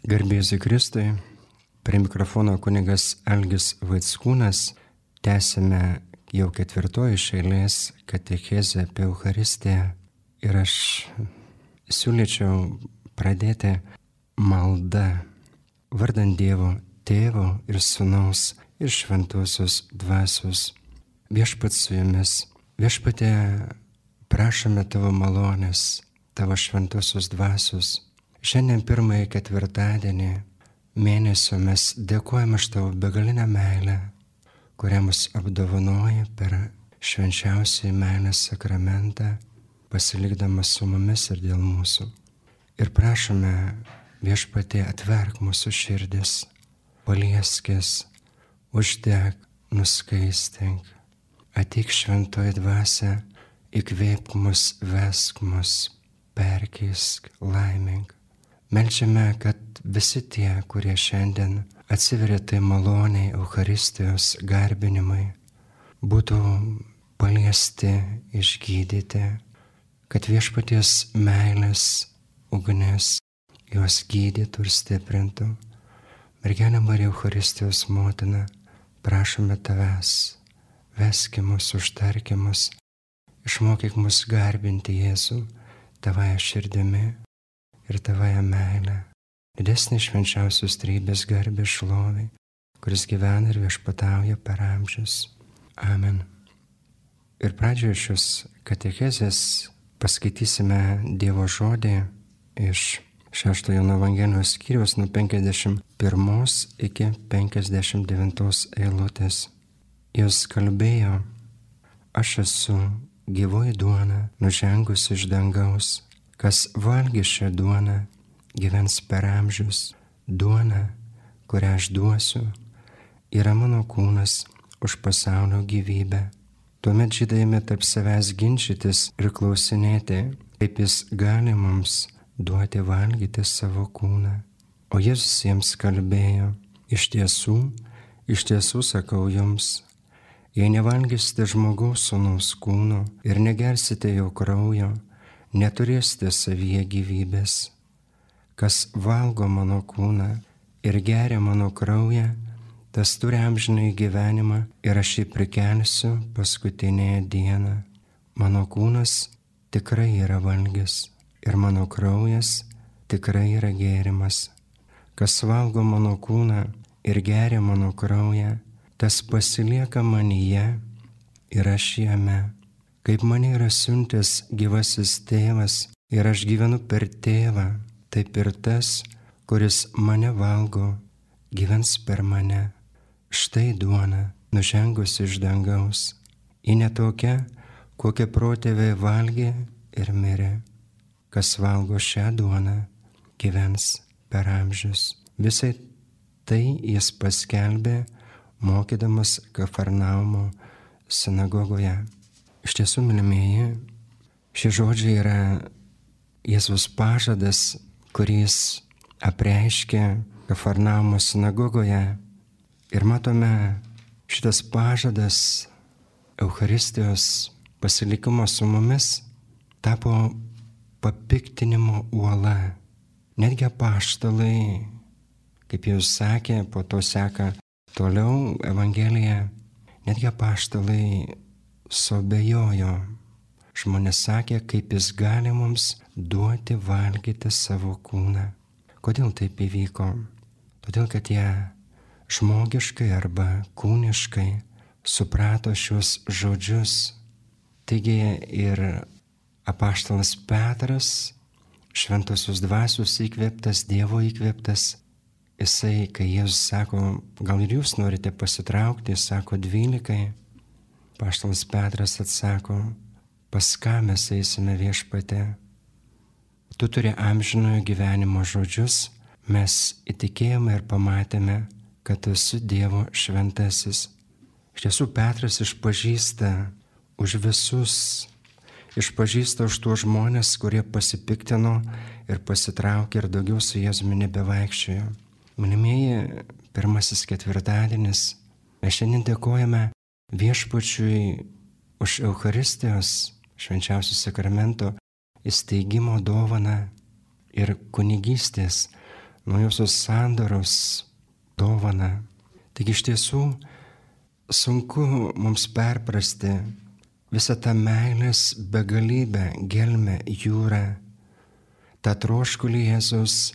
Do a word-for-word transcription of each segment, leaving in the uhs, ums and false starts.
Garbė Jėzui Kristui, prie mikrofono kunigas Algis Vaickūnas, tęsime jau ketvirtoji iš eilės katechezę apie Eucharistiją ir aš siūlyčiau pradėti maldą vardant Dievo Tėvo ir Sūnaus ir Šventosios Dvasios. Viešpats su jumis, Viešpatie, prašome Tavo malonės, Tavo Šventosios Dvasios. Šiandien pirmąjį ketvirtadienį mėnesio mes dėkojame už Tavo begalinę meilę, kurią mus apdovanoja per švenčiausiąjį meilės sakramentą, pasilikdamas su mumis ir dėl mūsų. Ir prašome, Viešpatie, atverk mūsų širdis, palieskis, uždek, nuskaistink. Ateik Šventoji Dvasia, įkvėpk mus, vesk mus, perkeisk, laimink. Meldžiame, kad visi tie, kurie šiandien atsiveria tai maloniai Eucharistijos garbinimai, būtų paliesti, išgydyti, kad Viešpaties meilės ugnis juos gydytų ir stiprintų. Mergelė Marija Eucharistijos motina, prašome Tavęs, veski mus, užtarki mus, išmokyk mus garbinti Jėzų Tavąją širdimi ir Tavąją meilę, didesnį švenčiausios trejybės garbę šlovei, kuris gyvena ir viešpatauja per amžius. Amen. Ir pradžioje šios katechezės paskaitysime Dievo žodį iš šeštojo Jono Evangelijos skyriaus nuo penkiasdešimt pirmos iki penkiasdešimt devintos eilutės. Jis kalbėjo: aš esu gyvoji duona, nužengusi iš dangaus. Kas valgys šią duoną, gyvens per amžius. Duona, kurią aš duosiu, yra mano kūnas už pasaulio gyvybę. Tuomet žydai ėmė tarp savęs ginčytis ir klausinėti, kaip jis gali mums duoti valgyti savo kūną. O Jėzus jiems kalbėjo: iš tiesų, iš tiesų sakau jums, jei nevalgysite žmogaus sūnaus kūno ir negersite jo kraujo, neturėsite savyje gyvybės. Kas valgo mano kūną ir geria mano kraują, tas turi amžinąjį gyvenimą ir aš jį prikelsiu paskutinėje dieną. Mano kūnas tikrai yra valgis ir mano kraujas tikrai yra gėrimas. Kas valgo mano kūną ir geria mano kraują, tas pasilieka manyje ir aš jame. Kaip mane yra siuntęs gyvasis tėvas ir aš gyvenu per tėvą, taip ir tas, kuris mane valgo, gyvens per mane. Štai duona, nužengusi iš dangaus. Ji netokia, kokią protėviai valgė ir mirė. Kas valgo šią duoną, gyvens per amžius. Visai tai jis paskelbė, mokydamas Kafarnaumo sinagogoje. Iš tiesų, mylimieji, šie žodžiai yra Jėzaus pažadas, kuris apreiškė Kafarnaumo sinagogoje. Ir matome, šitas pažadas Eucharistijos pasilikimo su mumis tapo papiktinimo uola. Netgi apaštalai, kaip jau sakė, po to seka toliau Evangelija, netgi apaštalai suabejojo. Žmonės sakė, kaip jis gali mums duoti valgyti savo kūną. Kodėl taip įvyko? Todėl, kad jie žmogiškai arba kūniškai suprato šios žodžius. Taigi ir apaštalas Petras, Šventosios Dvasios įkvėptas, Dievo įkvėptas, jisai, kai Jėzus sako, gal ir jūs norite pasitraukti, jis sako dvylikai. Apaštalas Petras atsako: pas ką mes eisime, Viešpatie? Tu turi amžinojo gyvenimo žodžius, mes įtikėjome ir pamatėme, kad esi Dievo šventasis. Iš tiesų, Petras išpažįsta už visus, išpažįsta už tuos žmonės, kurie pasipiktino ir pasitraukė ir daugiau su Jėzumi nebevaikščiojo. Mylimieji, pirmasis ketvirtadienis, mes šiandien dėkojame Viešpačiui už Eucharistijos švenčiausio sakramento įsteigimo dovaną ir kunigystės naujosios sandoros dovaną. Taigi iš tiesų sunku mums perprasti visą tą meilės begalybę, gelmę, jūrą, tą troškulį Jėzus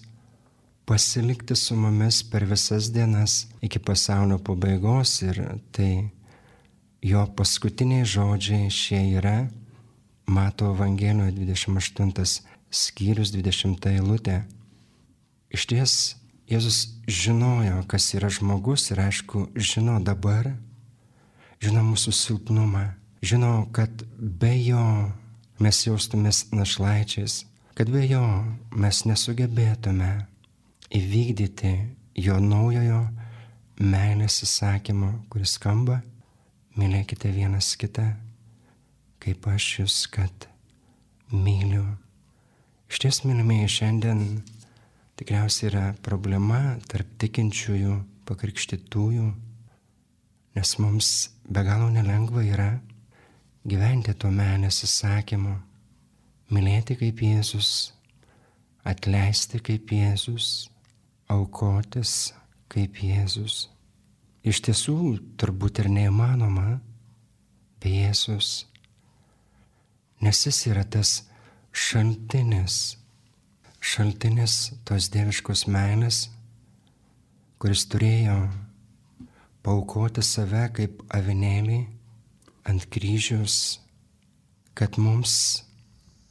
pasilikti su mumis per visas dienas iki pasaulio pabaigos, ir tai jo paskutiniai žodžiai šie yra Mato Evangelijoje dvidešimt aštuntas skyrius dvidešimta eilutė. Išties Jėzus žinojo, kas yra žmogus, ir aišku, žino dabar, žino mūsų silpnumą, žino, kad be jo mes jaustumės našlaičiais, kad be jo mes nesugebėtume įvykdyti jo naujojo meilės įsakymo, kuris skamba: mylėkite vienas kitą, kaip aš jūs, kad myliu. Išties, mylimieji, šiandien tikriausiai yra problema tarp tikinčiųjų, pakrikštytųjų, nes mums be galo nelengva yra gyventi to meilės įsakymu, mylėti kaip Jėzus, atleisti kaip Jėzus, aukotis kaip Jėzus. Iš tiesų, turbūt ir neįmanoma be Jėzus, nes jis yra tas šaltinis, šaltinis tos dieviškos meilės, kuris turėjo paaukoti save kaip avinėlį ant kryžiaus, kad mums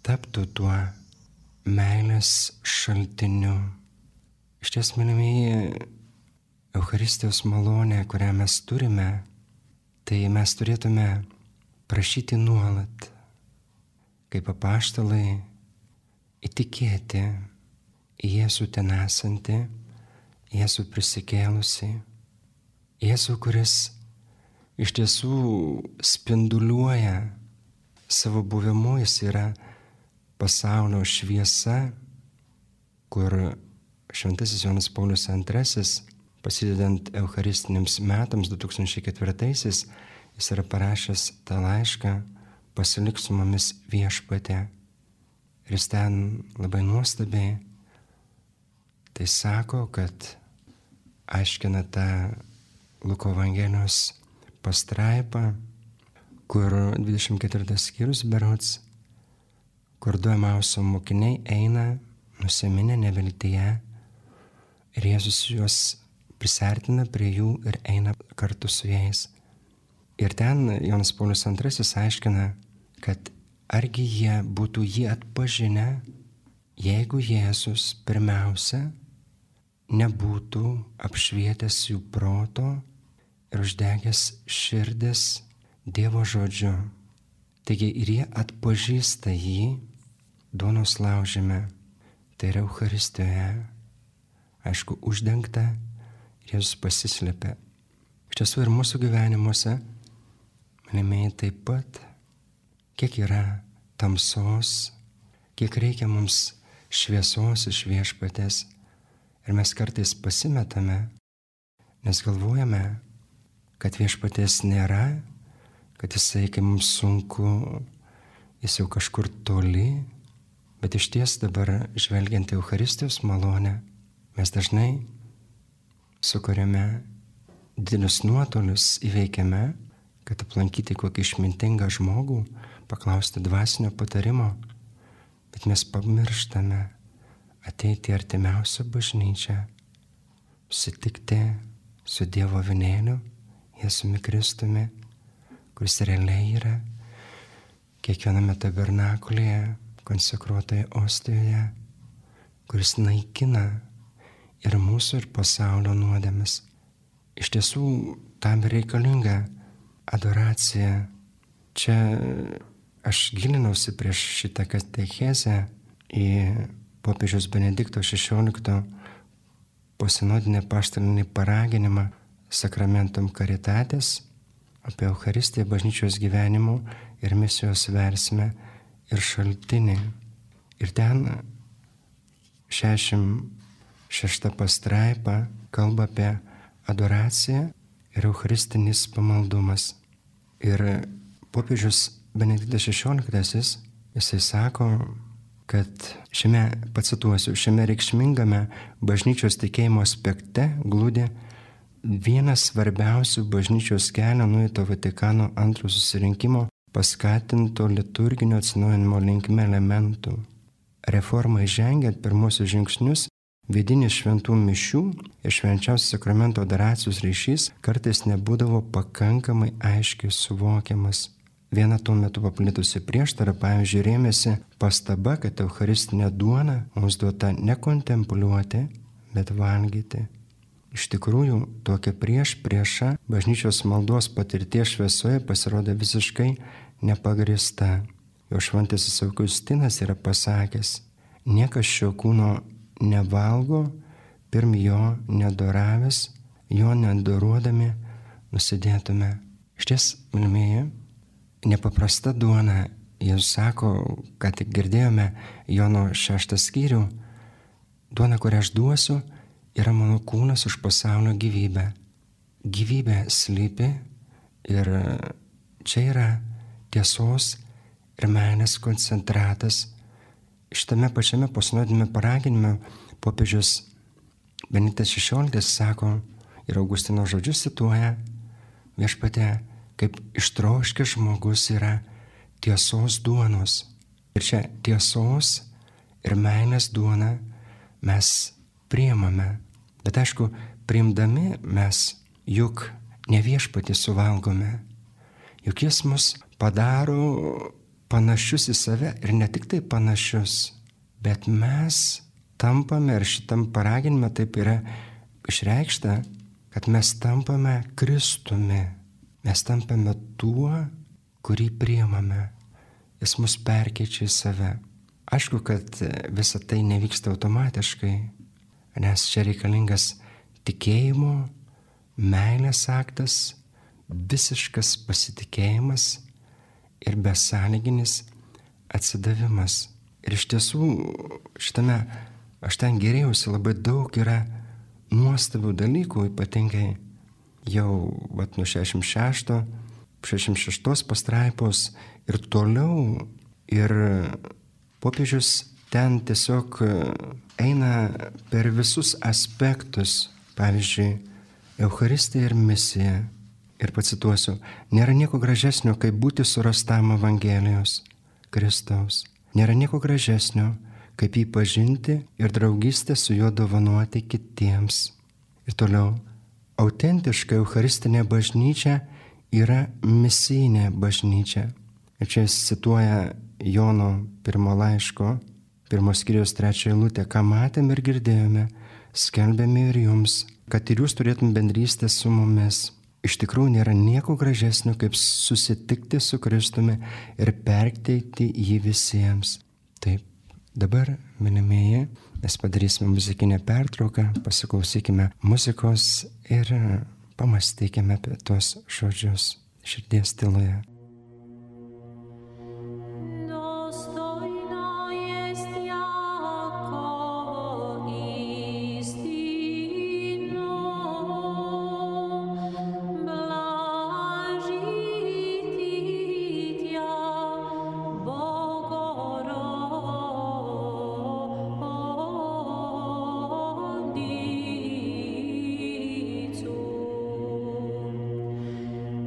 taptų tuo meilės šaltiniu. Išties, mylimieji, Eucharistijos malonė, kurią mes turime, tai mes turėtume prašyti nuolat, kaip apaštalai, įtikėti į Jėzų ten esantį, Jėzų prisikėlusi, Jėzų, kuris iš tiesų spinduliuoja savo buvimu, jis yra pasaulio šviesa, kur šventasis Jonas Paulius antrasis, prasidedant eucharistiniams metams du tūkstančiai ketvirtaisiais, jis yra parašęs tą laišką: pasilik su mumis Viešpatie. Ir jis ten labai nuostabiai tai sako, kad aiškina tą Luko Evangelijos pastraipą, kur dvidešimt ketvirtas skyrius berods, kur du Emauso mokiniai eina nusiminę neviltyje, ir Jėzus juos prisertina prie jų ir eina kartu su jais. Ir ten Jonas Paulius antrasis aiškina, kad argi jie būtų jį atpažinę, jeigu Jėzus pirmiausia nebūtų apšvietęs jų proto ir uždegęs širdis Dievo žodžiu. Taigi ir jie atpažįsta jį duonos laužime, tai yra Eucharistijoje, aišku, uždengta, ir Jėzus pasislepia. Iš tiesų ir mūsų gyvenimuose, mylimieji, taip pat, kiek yra tamsos, kiek reikia mums šviesos iš Viešpaties, ir mes kartais pasimetame, nes galvojame, kad Viešpaties nėra, kad jisai, kai mums sunku, jis jau kažkur toli, bet iš ties dabar, žvelgiant į Eucharistijos malonę, mes dažnai sukuriame didelius nuotolius, įveikiame, kad aplankyti kokį išmintingą žmogų, paklausti dvasinio patarimo, bet mes pamirštame ateiti į artimiausią bažnyčią, susitikti su Dievo avinėliu, Jėzumi Kristumi, kuris realiai yra kiekviename tabernakulėje, konsekruotoje ostijoje, kuris naikina ir mūsų, ir pasaulio nuodėmes. Iš tiesų, tam reikalinga adoracija. Čia aš gilinausi prieš šitą katechezę į popiežiaus Benedikto šešiolikto posinodinį apaštalinį paraginimą Sacramentum Caritatis apie Eucharistiją, bažnyčios gyvenimo ir misijos versmę ir šaltinį. Ir ten šešiasdešimt šešta pastraipa kalba apie adoraciją ir eucharistinis pamaldumas. Ir popiežius Benediktas šešioliktasis, jisai sako, kad šiame, pacituosiu, šiame reikšmingame bažnyčios tikėjimo aspekte glūdi vienas svarbiausių bažnyčios kelio nueito Vatikano antrojo susirinkimo paskatinto liturginio atsinaujinimo linkme elementų. Reformai žengiant pirmosius žingsnius, vidinis šventų mišių ir švenčiausio sakramento adoracijos ryšys kartais nebūdavo pakankamai aiškiai suvokiamas. Viena tuo metu paplitusi prieštara, pavyzdžiui, rėmėsi pastaba, kad eucharistinė duona mums duota ne kontempliuoti, bet valgyti. Iš tikrųjų, tokia prieš priešą bažnyčios maldos patirties šviesoje pasirodė visiškai nepagrįsta. Jo šventasis Augustinas yra pasakęs, niekas šio kūno nevalgo, pirm jo nedoravęs, jo nedoruodami nusidėtume. Šties, mylimieji, nepaprasta duona, Jėzus sako, ką tik girdėjome Jono šeštą skyrių, duona, kurią aš duosiu, yra mano kūnas už pasaulio gyvybę. Gyvybė slypi ir čia yra tiesos ir meilės koncentratas. Šitame pačiame posinodiniame paraginime popiežius Benediktas šešioliktasis sako ir Augustino žodžius cituoja, viešpatie, kaip ištroškęs žmogus yra tiesos duonos. Ir čia tiesos ir meilės duoną mes priimame. Bet aišku, priimdami mes juk ne viešpatį suvalgome. Juk jis mus padaro panašius į save ir ne tik tai panašius, bet mes tampame, ir šitam paraginime taip yra išreikšta, kad mes tampame Kristumi. Mes tampame tuo, kurį priimame. Jis mus perkeičia į save. Aišku, kad visa tai nevyksta automatiškai, nes čia reikalingas tikėjimo, meilės aktas, visiškas pasitikėjimas ir besąlyginis atsidavimas. Ir iš tiesų šitame aš ten gėrėjausi, labai daug yra nuostabių dalykų, ypatingai jau vat, nuo šešiasdešimt šešto, šešiasdešimt šeštos pastraipos ir toliau. Ir popiežius ten tiesiog eina per visus aspektus, pavyzdžiui, Eucharistija ir misija. Ir pacituosiu, nėra nieko gražesnio, kaip būti surastam Evangelijos Kristaus. Nėra nieko gražesnio, kaip jį pažinti ir draugystę su juo dovanoti kitiems. Ir toliau, autentiška eucharistinė bažnyčia yra misijinė bažnyčia. Ir čia jis cituoja Jono pirmo laiško, pirmos skyriaus trečią eilutę, ką matėm ir girdėjome, skelbėme ir jums, kad ir jūs turėtum bendrystę su mumis. Iš tikrųjų nėra nieko gražesnio, kaip susitikti su Kristumi ir perteikti jį visiems. Taip, dabar, mylimieji, mes padarysime muzikinę pertrauką, pasiklausykime muzikos ir pamastykime apie tuos žodžius širdies tyloje.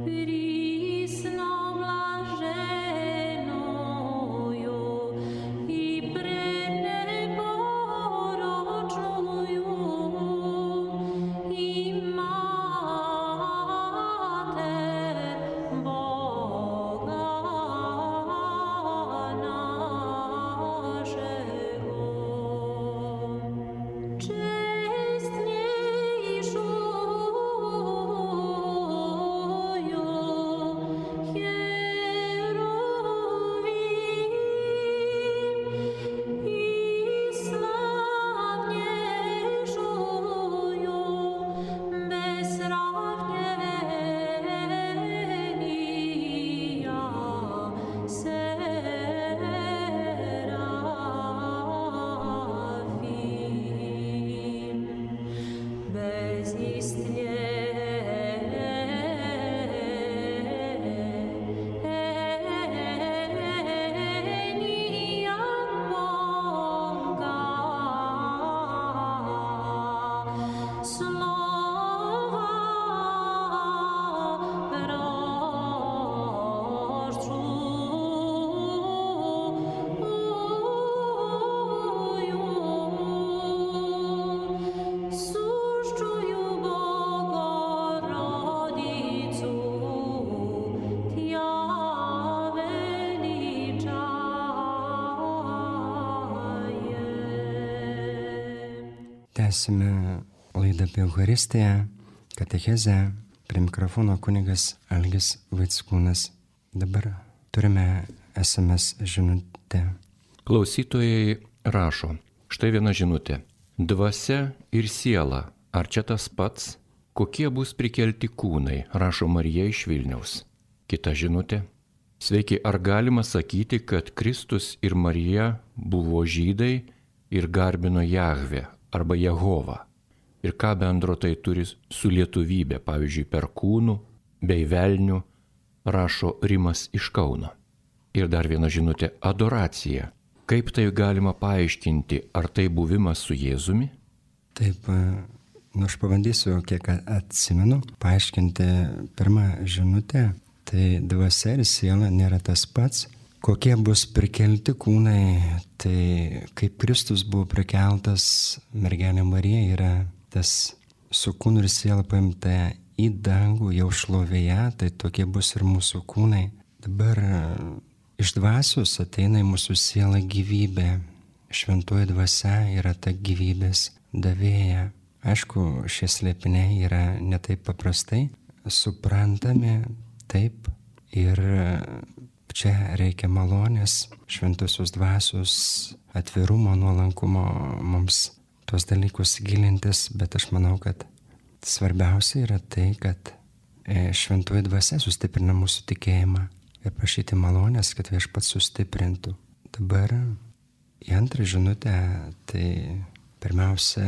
Prisna Tęsime laidą apie Eucharistiją, katechezę, prie mikrofono kunigas Algis Vaickūnas. Dabar turime S M S žinutę. Klausytojai rašo, štai viena žinutė. Dvasia ir siela, ar čia tas pats? Kokie bus prikelti kūnai, rašo Marija iš Vilniaus. Kita žinutė. Sveiki, ar galima sakyti, kad Kristus ir Marija buvo žydai ir garbino Jahvę arba Jehovą? Ir ką bendro tai turi su lietuvybė, pavyzdžiui, per kūnų bei velnių, rašo Rimas iš Kauno. Ir dar viena žinutė – adoracija. Kaip tai galima paaiškinti, ar tai buvimas su Jėzumi? Taip, nu aš pabandysiu, kiek atsimenu, paaiškinti pirmą žinutę. Tai dvasia ir siela nėra tas pats. Kokie bus prikelti kūnai, tai kaip Kristus buvo prikeltas, mergelė Marija yra tas su kūnu ir siela paimta į dangų jau šlovėje, tai tokie bus ir mūsų kūnai. Dabar iš dvasios ateina į mūsų sielą gyvybė. Šventoji dvasia yra ta gyvybės davėja. Aišku, šie slėpiniai yra ne taip paprastai suprantami, taip, ir čia reikia malonės, šventosios dvasios, atvirumo, nuolankumo mums tuos dalykus gilintis, bet aš manau, kad svarbiausia yra tai, kad šventoji dvasia sustiprina mūsų tikėjimą ir prašyti malonės, kad viešpats sustiprintų. Dabar į antrą žinutę, tai pirmiausia,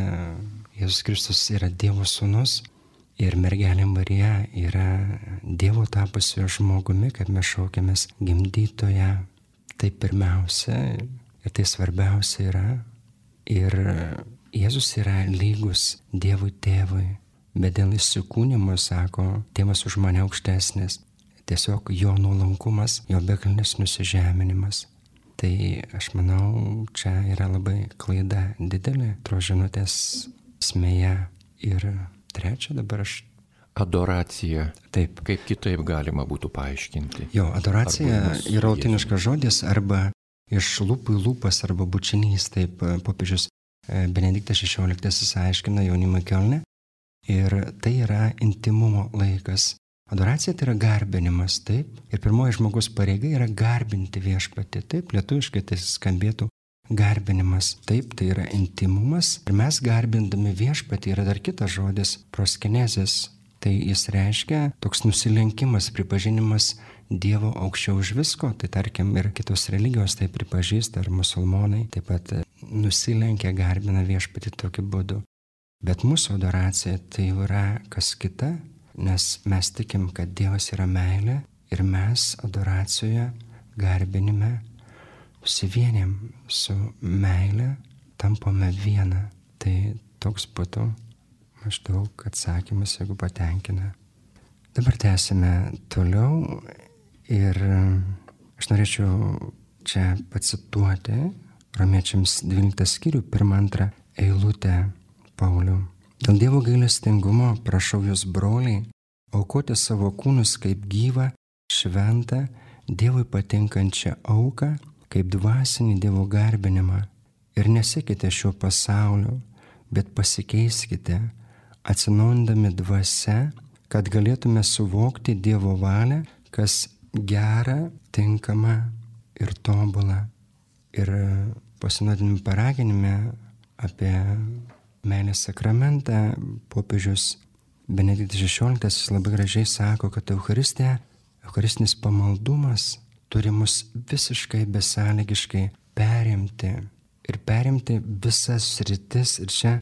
Jėzus Kristus yra Dievo sūnus ir mergelė Marija yra Dievo tapusio žmogumi, kaip mes šaukiamės gimdytoje. Tai pirmiausia ir tai svarbiausia yra. Ir Jėzus yra lygus Dievui tėvui, bet dėl įsikūnimo, sako, tėvas už mane aukštesnis. Tiesiog jo nuolankumas, jo begalnis nusižeminimas. Tai aš manau, čia yra labai klaida didelė tos žinutės esmėje. Ir trečia dabar aš... Adoracija. Taip. Kaip kitaip galima būtų paaiškinti? Jo, adoracija yra lotyniškas žodis arba iš lūpų į lūpas arba bučinys, taip popiežius Benediktas šešioliktasis aiškina jaunimui Kielne. Ir tai yra intimumo laikas. Adoracija tai yra garbinimas, taip. Ir pirmoji žmogus pareiga yra garbinti viešpatį, taip. Lietuviškai tai skambėtų garbinimas, taip, tai yra intimumas. Ir mes garbindami viešpatį yra dar kitas žodis – proskenezis. Tai jis reiškia toks nusilenkimas, pripažinimas Dievo aukščiau už visko. Tai tarkim ir kitos religijos tai pripažįsta, ar musulmonai taip pat nusilenkia, garbina viešpatį tokiu būdu. Bet mūsų adoracija tai yra kas kita, nes mes tikim, kad Dievas yra meilė ir mes adoracijoje, garbinime susivienėm su meilė, tampame viena. Tai toks būtų maždaug atsakymas, jeigu patenkina. Dabar tęsime toliau ir aš norėčiau čia pacituoti Romiečiams dvyliktą skyrių, pirmą antrą eilutę Paulių. Dėl Dievo gailestingumo prašau jūs, broliai, aukoti savo kūnus kaip gyvą, šventą, Dievui patinkančią auką, kaip dvasinį Dievo garbinimą. Ir nesekite šio pasaulio, bet pasikeiskite, atsinaujindami dvasia, kad galėtume suvokti Dievo valią, kas gera, tinkama ir tobula. Ir pasinodinime paraginime apie meilės sakramentą popiežius Benediktas šešioliktasis labai gražiai sako, kad Eucharistija, Eucharistinis pamaldumas turi mus visiškai besąlygiškai perimti ir perimti visas sritis. Ir čia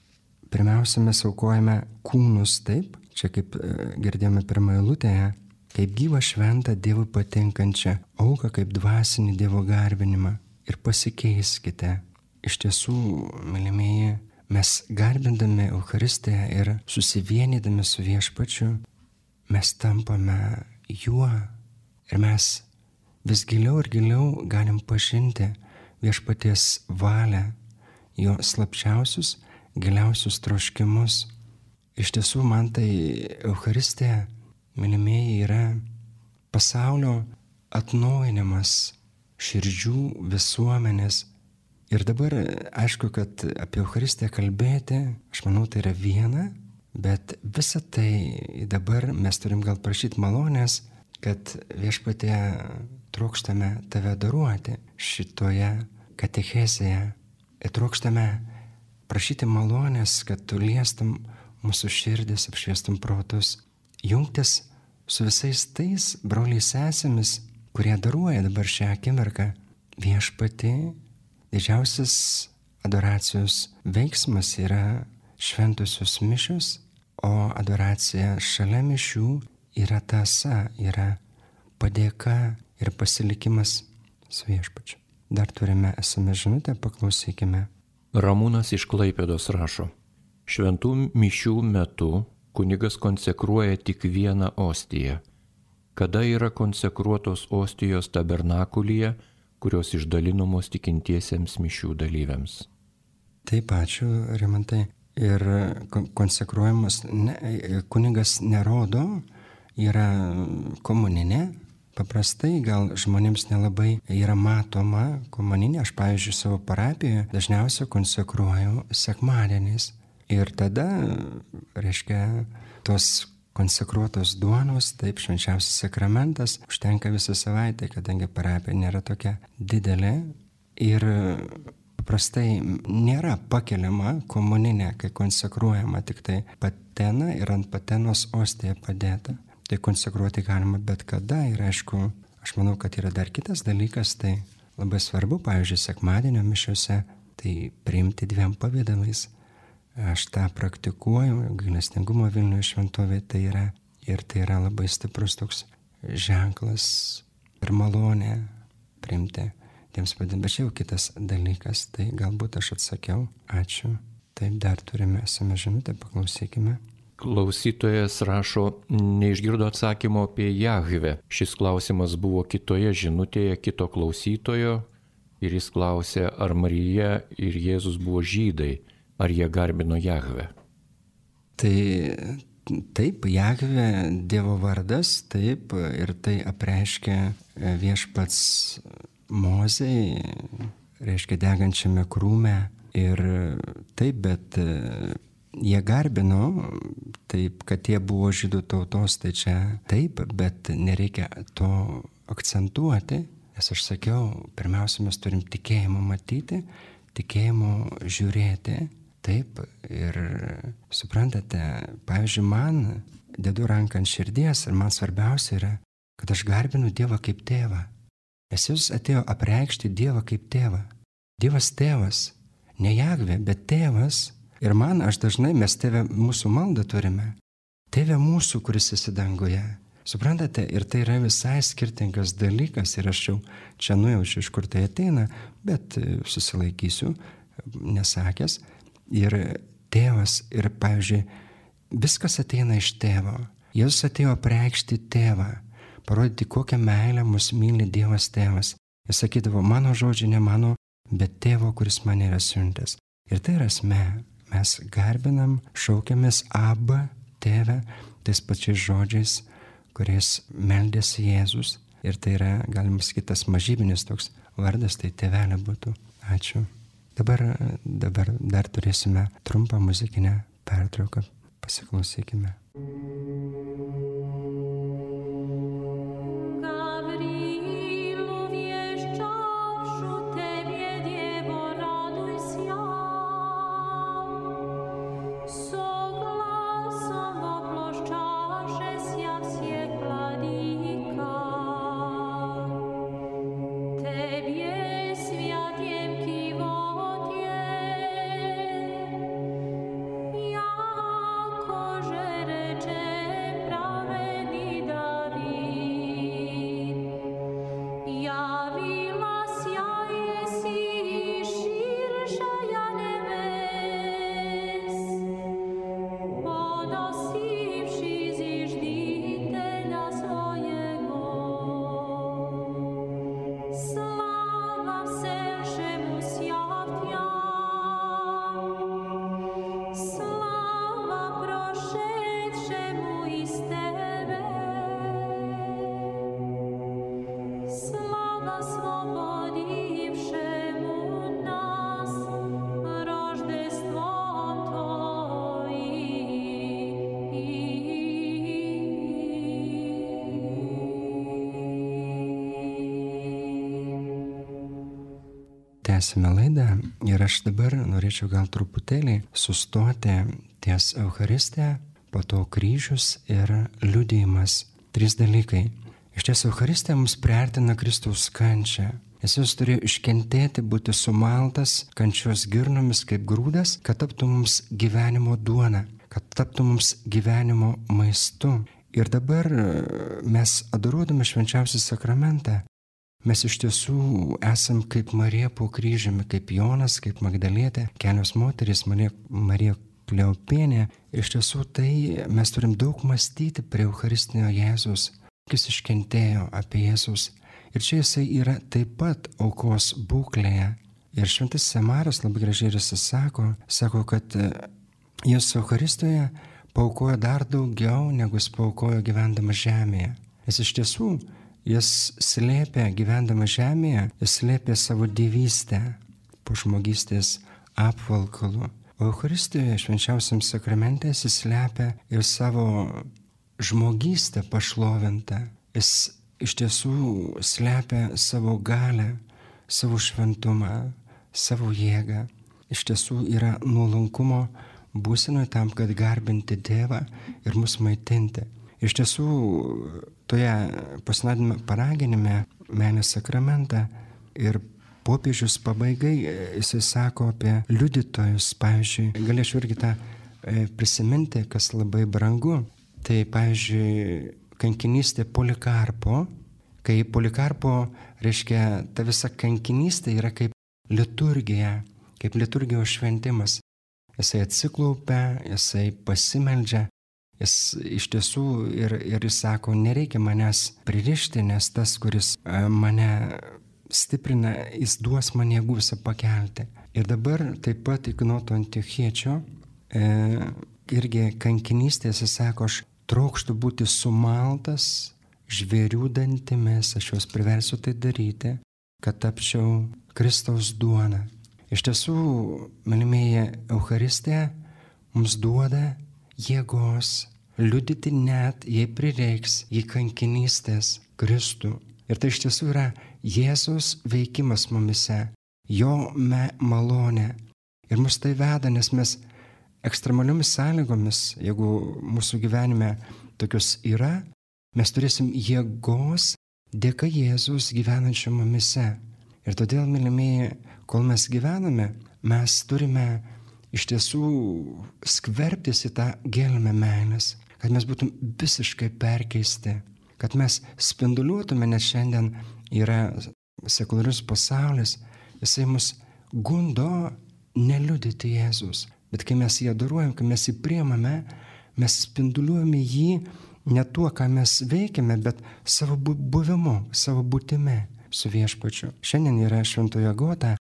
pirmiausia mes aukojame kūnus, taip, čia kaip girdėjome pirmoje eilutėje, kaip gyvą šventą Dievui patinkančią auką, kaip dvasinį Dievo garbinimą. Ir pasikeiskite. Iš tiesų, mylimieji, mes garbindami Eucharistiją ir susivienydami su viešpačiu, mes tampame juo ir mes vis giliau ir giliau galim pažinti viešpaties valią, jo slapčiausius, giliausius troškimus. Iš tiesų, man tai Eucharistija, mylimieji, yra pasaulio atnaujinimas, širdžių, visuomenės Ir dabar, aišku, kad apie Eucharistiją kalbėti, aš manau, tai yra viena, bet visą tai dabar mes turim gal prašyti malonės, kad Viešpatie trokštame tave adoruoti šitoje katechezėje. Ir trokštame prašyti malonės, kad tu liestum mūsų širdis, apšviestum protus, jungtis su visais tais broliais sesėmis, kurie adoruoja dabar šią akimirką Viešpatį. Didžiausias adoracijos veiksmas yra šventosios mišios, o adoracija šalia mišių yra tąsa, yra padėka ir pasilikimas su Viešpačiu. Dar turime esame žinutę, paklausykime. Ramūnas iš Klaipėdos rašo: šventų mišių metu kunigas konsekruoja tik vieną ostiją. Kada yra konsekruotos ostijos tabernakulyje, kurios išdalinamos tikintiesiems mišių dalyviams? Taip, ačiū, Rimantai. Ir konsekruojamas ne, kunigas nerodo, yra komuninė. Paprastai gal žmonėms nelabai yra matoma komuninė. Aš, pavyzdžiui, savo parapijoje dažniausiai konsekruoju sekmadieniais. Ir tada, reiškia, tos konsekruotos duonos, taip, švenčiausias sakramentas, užtenka visą savaitę, kadangi parapija nėra tokia didelė ir paprastai nėra pakeliama komuninė, kai konsekruojama tik tai patena ir ant patenos ostija padėta. Tai konsekruoti galima bet kada ir aišku, aš manau, kad yra dar kitas dalykas, tai labai svarbu, pavyzdžiui, sekmadienio mišiose, tai priimti dviem pavydalais. Aš tą praktikuoju, gailestingumo Vilniuje šventovė tai yra, ir tai yra labai stiprus toks ženklas ir malonė priimti tiems padėm. Bet čia jau kitas dalykas, tai galbūt aš atsakiau. Ačiū. Taip, dar turime esame žinutę, paklausykime. Klausytojas rašo, neišgirdo atsakymo apie Jahvę. Šis klausimas buvo kitoje žinutėje kito klausytojo ir jis klausė, ar Marija ir Jėzus buvo žydai. Ar jie garbino Jahvę? Tai taip, Jahvė Dievo vardas, taip, ir tai apreiškia Viešpats Mozei, reiškia degančiame krūme. Ir taip, bet jie garbino, taip, kad jie buvo žydų tautos, tai čia taip, bet nereikia to akcentuoti, nes aš sakiau, pirmiausia, mes turim tikėjimą matyti, tikėjimą žiūrėti. Taip, ir suprantate, pavyzdžiui, man dedu ranką ant širdies ir man svarbiausia yra, kad aš garbinu Dievą kaip tėvą. Nes Jis atėjo apreikšti Dievą kaip tėvą. Dievas tėvas, ne Jahvė, bet tėvas. Ir man, aš dažnai, mes tėvę mūsų maldą turime. Tėvė mūsų, kuris esi danguje. Suprantate, ir tai yra visai skirtingas dalykas ir aš jau čia nujaučiu, iš kur tai ateina, bet susilaikysiu, nesakęs. Ir tėvas, ir pavyzdžiui, viskas ateina iš tėvo. Jėzus atėjo apreikšti tėvą, parodyti, kokią meilę mus myli Dievas tėvas. Jis sakydavo, mano žodžiai ne mano, bet tėvo, kuris mane yra siuntęs. Ir tai yra esmė. Mes garbinam, šaukiamės Abba, tėvę, tais pačiais žodžiais, kuriais meldėsi Jėzus. Ir tai yra, galima sakyti, tas mažybinis toks vardas, tai tėvelė būtų. Ačiū. Dabar, dabar dar turėsime trumpą muzikinę pertrauką. Pasiklausykime. Jako, że recze tęsime laidą ir aš dabar norėčiau gal truputėlį sustoti ties Eucharistija, po to kryžius ir liudijimas. Trys dalykai. Iš tiesų, Eucharistija mums priartina Kristaus kančią. Jis turėjo iškentėti, būti sumaltas kančios girnomis kaip grūdas, kad taptų mums gyvenimo duona, kad taptų mums gyvenimo maistu. Ir dabar mes adoruodami švenčiausią sakramentą, mes iš tiesų esam kaip Marija po kryžiumi, kaip Jonas, kaip Magdalietė, kelios moterys, Marija, Marija Kleopienė. Iš tiesų tai mes turim daug mąstyti prie Eucharistinio Jėzus, jis iškentėjo apie Jėzus. Ir čia jisai yra taip pat aukos būklėje. Ir šventas Semaras labai gražiai ir jis sako, sako, kad jis Eucharistijoje paaukojo dar daugiau, negu jis paaukojo gyvendamas žemėje. Jis iš tiesų, jis slėpė gyvendama žemėje, jis slėpė savo dievystę po žmogystės apvalkalu. O Eucharistijoje švenčiausiam sakramente jis slėpė ir savo žmogystę pašlovintą. Jis iš tiesų slepia savo galę, savo šventumą, savo jėgą. Iš tiesų yra nuolankumo būsenoje tam, kad garbinti Dievą ir mus maitinti. Iš tiesų toje pasinodinime paraginime meilės sakramentą ir popiežius pabaigai jisai sako apie liudytojus. Pavyzdžiui, galėčiau irgi tą prisiminti, kas labai brangu. Tai pavyzdžiui, kankinystė Polikarpo, kai Polikarpo reiškia ta visa kankinystė yra kaip liturgija, kaip liturgijos šventimas. Jisai atsiklaupia, jisai pasimeldžia, jis iš tiesų ir, ir jis sako, nereikia manęs pririšti, nes tas, kuris mane stiprina, jis duos man jėgų visą pakelti. Ir dabar taip pat Ignoto Antiochiečio e, irgi kankinystės jis sako, aš trokštų būti sumaltas žvėrių dantimis, aš juos priversiu tai daryti, kad tapčiau Kristaus duona. Iš tiesų, mylimieji, Eucharistija mums duoda jėgos liudyti net, jei prireiks, jei kankinystės Kristų. Ir tai iš tiesų yra Jėzus veikimas mumise, jo me malonė. Ir mus tai veda, nes mes ekstremaliomis sąlygomis, jeigu mūsų gyvenime tokios yra, mes turėsim jėgos dėka Jėzus gyvenančio mumise. Ir todėl, mylimieji, kol mes gyvename, mes turime iš tiesų skverbtis į tą gelmę meilės, kad mes būtum visiškai perkeisti, kad mes spinduliuotume, nes šiandien yra sekuliarus pasaulis, jisai mus gundo neliudyti Jėzus. Bet kai mes jį adoruojam, kai mes jį priimame, mes spinduliuojame jį ne tuo, ką mes veikiame, bet savo buvimu, savo būtimi su viešpačiu. Šiandien yra šventoji Agota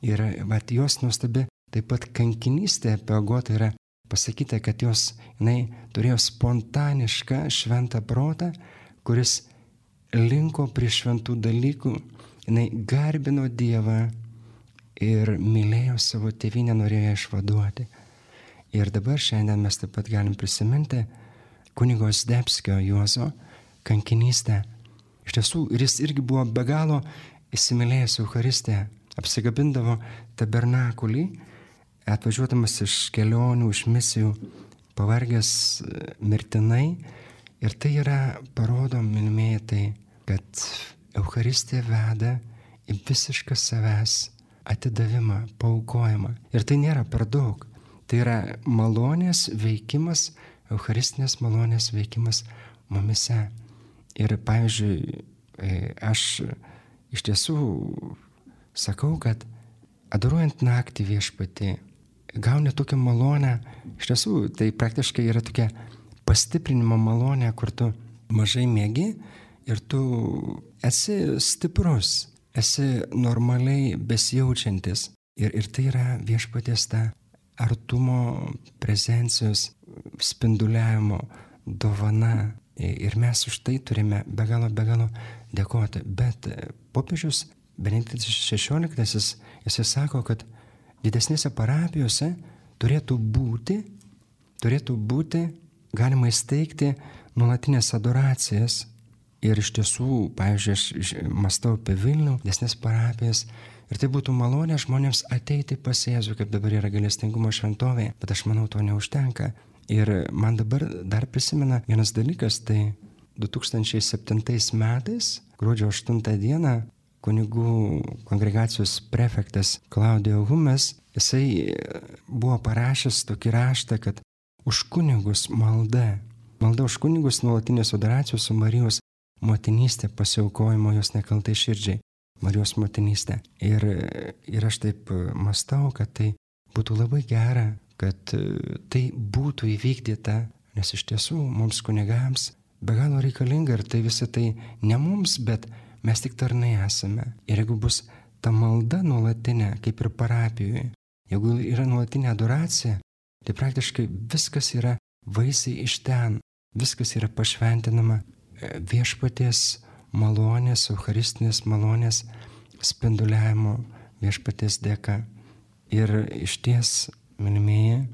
ir vat, jos nuostabi taip pat kankinystė apie Agotą yra pasakyta, kad jos jinai turėjo spontanišką šventą protą, kuris linko prie šventų dalykų, jinai garbino Dievą ir mylėjo savo tėvynę, norėjo ją išvaduoti. Ir dabar šiandien mes taip pat galim prisiminti kunigo Zdebskio Juozo kankinystę. Iš tiesų, ir jis irgi buvo be galo įsimylėjęs Eucharistiją, apsigabindavo tabernakulį, atvažiuodamas iš kelionių, iš misijų, pavargęs mirtinai. Ir tai yra, parodo, mylimieji, tai, kad Eucharistija veda į visišką savęs atidavimą, paaukojimą. Ir tai nėra per daug. Tai yra malonės veikimas, Eucharistinės malonės veikimas mumise. Ir, pavyzdžiui, aš iš tiesų sakau, kad adoruojant naktį viešpatį, gauni tokią malonę, iš tiesų tai praktiškai yra tokia pastiprinimo malonė, kur tu mažai miegi ir tu esi stiprus. Esi normaliai besijaučiantis. Ir, ir tai yra viešpaties ta artumo, prezencijos, spinduliavimo dovana. Ir mes už tai turime be galo, be galo dėkoti. Bet popiežius Benediktas šešioliktasis, jisai sako, kad didesnėse parapijose turėtų būti, turėtų būti galima įsteigti nuolatinės adoracijas Ir iš tiesų, pavyzdžiui, aš mąstau apie Vilnių, desnes parapijas. Ir tai būtų malonė žmonėms ateiti pas Jėzų, kaip dabar yra gailestingumo šventovė. Bet aš manau, to neužtenka. Ir man dabar dar prisimena vienas dalykas, tai du tūkstančiai septintais metais, gruodžio aštuntą dieną, kunigų kongregacijos prefektas Klaudijo Humes, jisai buvo parašęs tokį raštą, kad už kunigus malda, malda už kunigus nuolatinės adoracijos su Marijos motinystė, pasiaukojimo jos nekaltai širdžiai, Marijos motinystė. Ir, ir aš taip mąstau, kad tai būtų labai gera, kad tai būtų įvykdyta, nes iš tiesų mums kunigams be galo reikalinga ir tai visą tai ne mums, bet mes tik tarnai esame. Ir jeigu bus ta malda nuolatinė, kaip ir parapijoje, jeigu yra nuolatinė adoracija, tai praktiškai viskas yra vaisiai iš ten, viskas yra pašventinama viešpaties malonės, eucharistinės malonės spinduliavimo viešpaties dėka. Ir iš ties, mylimieji,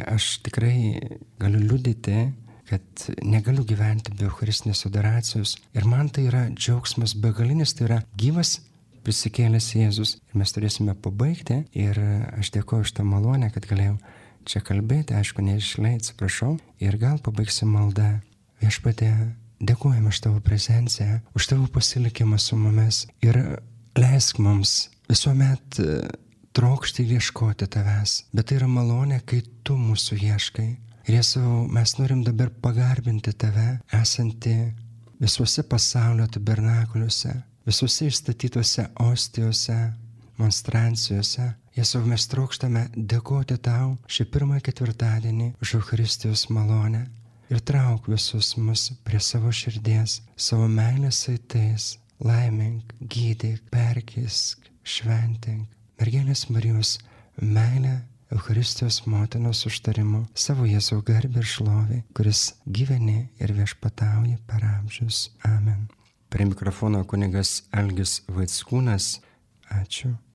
aš tikrai galiu liudyti, kad negaliu gyventi be eucharistinės adoracijos. Ir man tai yra džiaugsmas begalinis, tai yra gyvas prisikėlęs Jėzus. Ir mes turėsime pabaigti. Ir aš dėkoju už tą malonę, kad galėjau čia kalbėti, aišku, neišlei, atsiprašau. Ir gal pabaigsim maldą. Viešpatie, dėkojame už tavo prezenciją, už tavo pasilikimą su mumis. Ir leisk mums visuomet trokšti ir ieškoti tavęs. Bet tai yra malonė, kai tu mūsų ieškai. Ir Jėzau, mes norim dabar pagarbinti tave, esantį visuose pasaulio tabernakuliuose, visuose išstatytuose ostijose, monstrancijose. Jėzau, mes trokštame dėkoti tau šį pirmą ketvirtadienį už Eucharistijos malonę. Ir trauk visus mus prie savo širdies, savo meilės saitais, laimink, gydyk, perkeisk, šventink. Mergelės Marijos meilę Eucharistijos motinos užtarimu savo Jėzau garbę ir šlovę, kuris gyveni ir viešpatauja per amžius. Amen. Prie mikrofono kunigas Algis Vaickūnas. Ačiū.